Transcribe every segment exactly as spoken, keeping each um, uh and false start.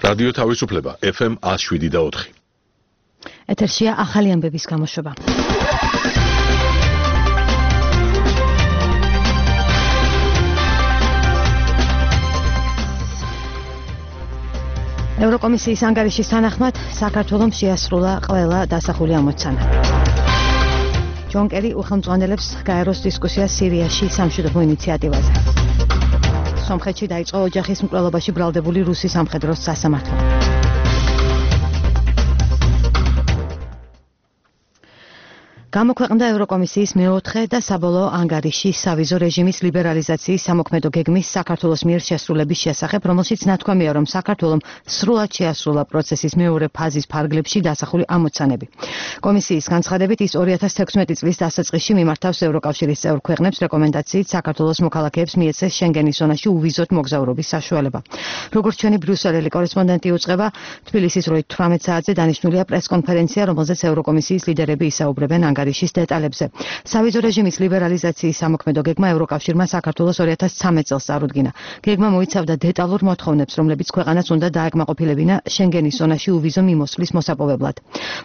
რადიო თავისუფლება ეფ ემ ნული შვიდი და ოთხი. ეთერშია ახალი ამბების გამოშვება. ევროკომისიის ანგარიშის თანახმად საქართველომ შეასრულა ყველა დასახული ამოცანა. ჯონ კერი უხელმძღვანელებს გაეროს დისკუსიას სირიაში სამშვიდობო ინიციატივაზე. სომხეთში დაიწყო ოჯახის მკვლელობაში ბრალდებული რუსი სამხედრო სასამართლო. გამოქვეყნდა ევროკომისიის მეოთხე და საბოლოო ანგარიში სავიზო რეჟიმის ლიბერალიზაციის სამოქმედო გეგმის საქართველოს მიერ შესრულების შესახებ, რომელშიც ნათქვამია, რომ საქართველომ სრულად შეასრულა პროცესის მეორე ფაზის ფარგლებში დასახული ამოცანები. კომისიის განცხადებით, ის ორი ათას თექვსმეტი წლის დასაწყისში მიმართავს ევროკავშირის წევრ ქვეყნებს რეკომენდაციით საქართველოს მოქალაქეებს მიეცეს შენგენის ზონაში უვიზოდ მოგზაურობის საშუალება. როგორც ჩვენი ბრიუსელელი კორესპონდენტი უწყება, თბილისის როით თვრამეტ საათზე დანიშნულია პრესკონფერენცია, რომელზეც ევროკომისიის ლიდერები ისაუბრებენ ანგარიშის დეტალებზე. სავიზო რეჟიმის ლიბერალიზაციის სამოქმედო გეგმა ევროკავშირმა საქართველოს ორი ათას ცხრამეტ წელს წარუდგინა. გეგმა მოიცავდა დეტალურ მოთხოვნებს, რომლებიც ქვეყანას უნდა დააკმაყოფილებინა შენგენის ზონაში უვიზო მიმოსვლის მოსაპოვებლად.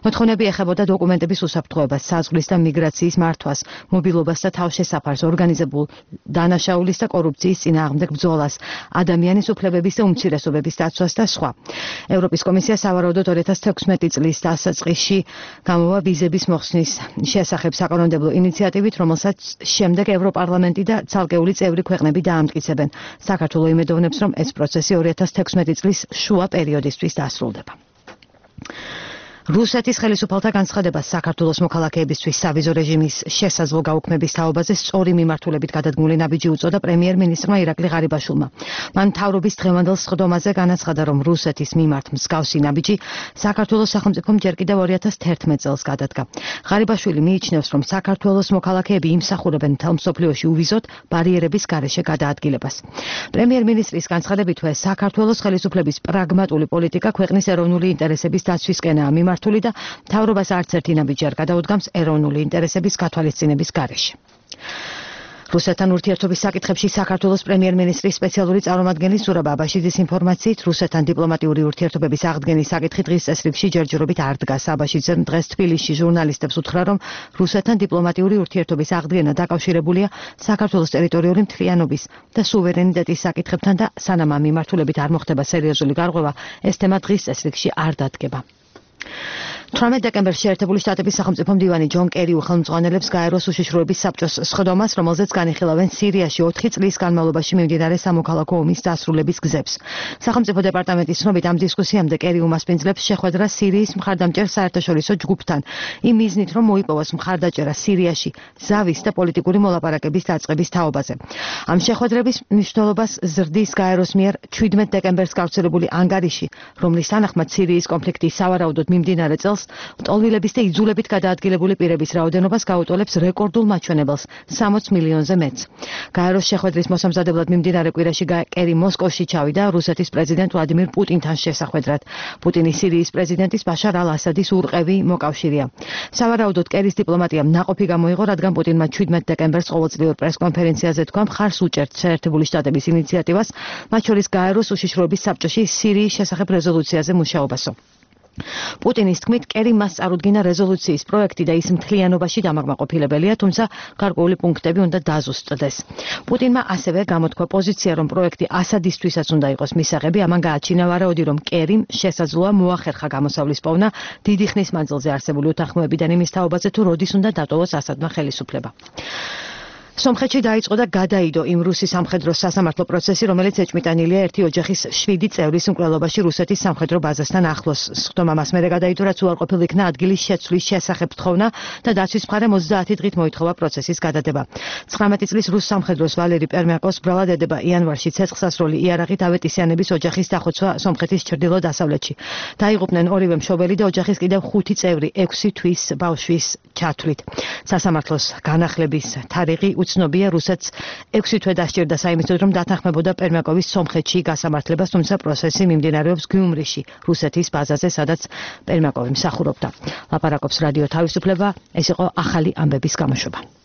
მოთხოვნები ეხებოდა დოკუმენტების უსაფრთხოებას, საზღვრის და მიგრაციის მართვას, მობილობას და თავშესაფარს, ორგანიზებულ დანაშაულის და კორუფციის წინააღმდეგ ბრძოლას, ადამიანის უფლებების და უმცირესობების დაცვას და სხვა. ევროპის კომისია სავარაუდოდ ორი ათას თექვსმეტი წლის დასაწყისში გამოვა ვიზების მოხსნის შესახებ საკანონმდებლო ინიციატივით, რომელსაც შემდეგ ევროპარლამენტი და ცალკეული წევრი ქვეყნები დაამტკიცებენ. საქართველო იმედოვნებს, რომ ეს პროცესი ორი ათას თექვსმეტი წლის შუა პერიოდისთვის დასრულდება. რუსეთის ხელისუფალთა განცხადება საქართველოს მოქალაქეებისთვის სავიზო რეჟიმის შესაძლო გაუქმების თაობაზე სწორი მიმართულებით გადადგმული ნაბიჯი უწოდა პრემიერ-მინისტრმა ირაკლი ღარიბაშვილმა. მან მთავრობის დღევანდელ სხდომაზე განაცხადა, რომ რუსეთის მიმართ მსგავსი ნაბიჯი საქართველოს სახელმწიფომ ჯერ კიდევ ორი ათას თერთმეტ წელს გადადგა. ღარიბაშვილი მიიჩნევს, რომ საქართველოს მოქალაქეები იმსახურებენ მთელ მსოფლიოში უვიზოდ ბარიერების გარეშე გადაადგილებას. პრემიერ-მინისტრის განცხადებითვე საქართველოს ხელისუფლების პრაგმატული პოლიტიკა ქვეყნის ეროვნული ინტერესების დაცვისკენაა მიმართული და მთავრობას არც ერთი ნაბიჯი არ გადაუდგამს ეროვნული ინტერესების გათვალისწინების გარეშე. რუსეთთან ურთიერთობის საკითხებში საქართველოს პრემიერ-მინისტრის სპეციალური წარმომადგენლის ზურაბ აბაშიძის ინფორმაციით, რუსეთთან დიპლომატიური ურთიერთობების აღდგენის საკითხი დღის წესრიგში ჯერჯერობით არ დგას. აბაშიძემ დღეს თბილისში ჟურნალისტებს უთხრა, რომ რუსეთთან დიპლომატიური ურთიერთობის აღდგენა დაკავშირებულია საქართველოს ტერიტორიული მთლიანობის და სუვერენიტეტის საკითხებთან და სანამ ამ მიმართულებით არ მოხდება სერიოზული გარღვევა, ეს თემა დღის წესრიგში არ დადგება. თვრამეტ დეკემბერში შეერთებული შტატების სახელმწიფო მდივანი ჯონ კერი უხელმძღვანელებს გაეროს უშიშროების საბჭოს სხდომას, რომელზეც განიხილავენ სირიაში ოთხი წლის განმავლობაში მიმდინარე სამოქალაქო ომის დასრულების გზებს. სახელმწიფო დეპარტამენტის ცნობით, ამ დისკუსიამდე კერი უმასპინძლებს შეხვედრა სირიის მხარდამჭერ საერთაშორისო ჯგუფთან, იმ მიზნით, რომ მოიპოვოს მხარდაჭერა სირიაში ზავის და პოლიტიკური მოლაპარაკების დაწყების თაობაზე. ამ შეხვედრების მნიშვნელობას ზრდის გაეროს მიერ ჩვიდმეტ დეკემბერს გავრცელებული ანგარიში, რომლის თანახმად სირიის კონფლიქტის სავარაუდოდ მიმდინარე წელს ლტოლვილების და იძულებით გადაადგილებული პირების რაოდენობას გაუტოლებს რეკორდულ მაჩვენებელს სამოც მილიონზე მეტს. გაეროს შეხვედრის მოსამზადებლად მიმდინარე კვირაში კერი მოსკოვში ჩავიდა რუსეთის პრეზიდენტ ვლადიმირ პუტინთან შესახვედრად. პუტინი სირიის პრეზიდენტის ბაშარ ალ-ასადის ურყევი მოკავშირეა. სავარაუდოდ კერის დიპლომატიამ ნაყოფი გამოიღო, რადგან პუტინმა ჩვიდმეტ დეკემბერს ყოველწლიურ პრესკონფერენციაზე თქვა, მხარს უჭერთ შეერთებული შტატების ინიციატივას, მათ შორის გაეროს უშიშროების საბჭოში სირიის შესახებ რეზოლუციაზე მუშაობასო. პუტინის თქმით, კერი მას წარუდგინა რეზოლუციის პროექტი და ის მთლიანობაში დამაკმაყოფილებელია, თუმცა გარკვეული პუნქტები უნდა დაზუსტდეს. პუტინმა ასევე გამოთქვა პოზიცია, რომ პროექტი ასადისთვისაც უნდა იყოს მისაღები, ამან გააჩინა ვარაუდი, რომ კერიმ შესაძლოა მოახერხა გამოსავლის პოვნა დიდი ხნის მანძილზე არსებული უთანხმოებიდან იმის თაობაზე, თუ როდის უნდა დატოვოს ასადმა ხელისუფლება. სომხეთში დაიწყო და გადაიდო იმ რუსი სამხედრო სასამართლო პროცესი, რომელიც ეჭვმიტანილია ერთი ოჯახის შვიდი წევრის მკვლელობაში რუსეთის სამხედრო ბაზასთან ახლოს. სხდომა მას მერე გადაიდო, რაც უარყოფილ იქნა ადგილის შეცვლის შესახებ თხოვნა და დაცვის მხარე ოცდაათი დღით მოითხოვა პროცესის გადადება. ცხრამეტი წლის რუს სამხედროს ვალერი პერმიაკოს ბრალად ედება იანვარში ცეცხლსასროლი იარაღით ავეტისიანების ოჯახის დახოცვა სომხეთის ჩრდილო-დასავლეთში. დაიღუპნენ ორივე მშობელი და ოჯახის კიდევ ხუთი წევრი ექვსი თვის ბავშვის ჩათვლით. სასამართლოს განახლების თარიღი ცნობია, რუსეთს ექვსი თვე დასჭირდა საიმედოდ, რომ დათანხმებოდა პერმიაკოვის სომხეთში გასამართლებას, თუმცა პროცესი მიმდინარეობს გიუმრიში, რუსეთის ბაზაზე, სადაც პერმიაკოვი მსახურობდა. ლაპარაკობს რადიო თავისუფლება, ეს იყო ახალი ამბების გამოშვება.